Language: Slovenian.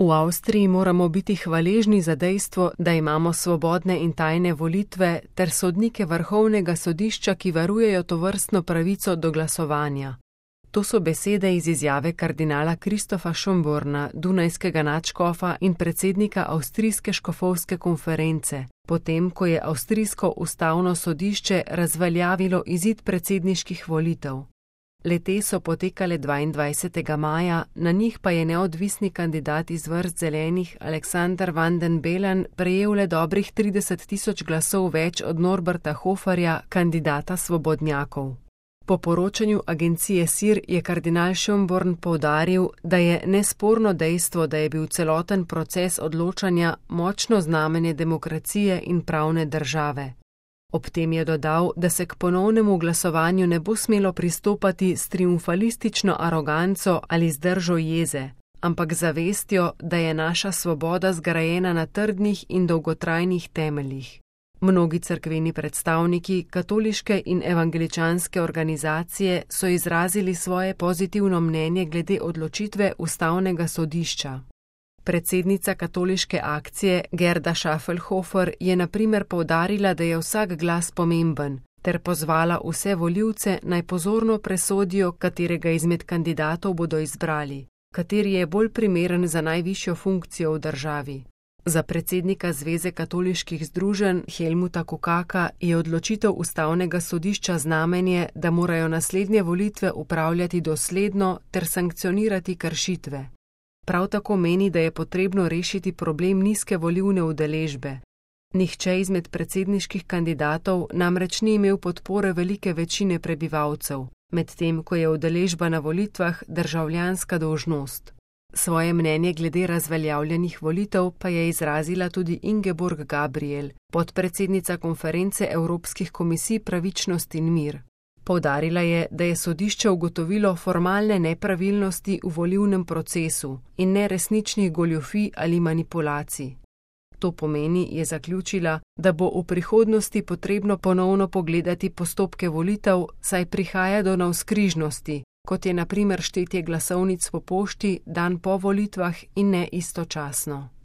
V Avstriji moramo biti hvaležni za dejstvo, da imamo svobodne in tajne volitve ter sodnike Vrhovnega sodišča, ki varujejo tovrstno pravico do glasovanja. To so besede iz izjave kardinala Kristofa Schönborna, dunajskega nadškofa in predsednika Avstrijske škofovske konference, potem ko je avstrijsko ustavno sodišče razveljavilo izid predsedniških volitev. Le-te so potekale 22. maja, na njih pa je neodvisni kandidat iz vrst zelenih Alexander van den Bellen prejel le dobrih 30.000 glasov več od Norberta Hoferja, kandidata svobodnjakov. Po poročanju agencije SIR je kardinal Schönborn poudaril, da je nesporno dejstvo, da je bil celoten proces odločanja močno znamenje demokracije in pravne države. Ob tem je dodal, da se k ponovnemu glasovanju ne bo smelo pristopati s triumfalistično aroganco ali z držo jeze, ampak zavestjo, da je naša svoboda zgrajena na trdnih in dolgotrajnih temeljih. Mnogi cerkveni predstavniki, katoliške in evangeličanske organizacije so izrazili svoje pozitivno mnenje glede odločitve ustavnega sodišča. Predsednica katoliške akcije Gerda Schaffelhofer je na primer poudarila, da je vsak glas pomemben, ter pozvala vse volivce naj pozorno presodijo, katerega izmed kandidatov bodo izbrali, kateri je bolj primeren za najvišjo funkcijo v državi. Za predsednika Zveze katoliških združenj Helmuta Kukaka je odločitev ustavnega sodišča znamenje, da morajo naslednje volitve upravljati dosledno ter sankcionirati kršitve. Prav tako meni, da je potrebno rešiti problem nizke volilne udeležbe. Nihče izmed predsedniških kandidatov namreč ni imel podpore velike večine prebivalcev, medtem ko je udeležba na volitvah državljanska dolžnost. Svoje mnenje glede razveljavljenih volitev pa je izrazila tudi Ingeborg Gabriel, podpredsednica konference Evropskih komisij Pravičnost in mir. Poudarila je, da je sodišče ugotovilo formalne nepravilnosti v volilnem procesu in ne resničnih goljufij ali manipulacij. To pomeni, je zaključila, da bo v prihodnosti potrebno ponovno pogledati postopke volitev, saj prihaja do navzkrižnosti, kot je na primer štetje glasovnic po pošti dan po volitvah in ne istočasno.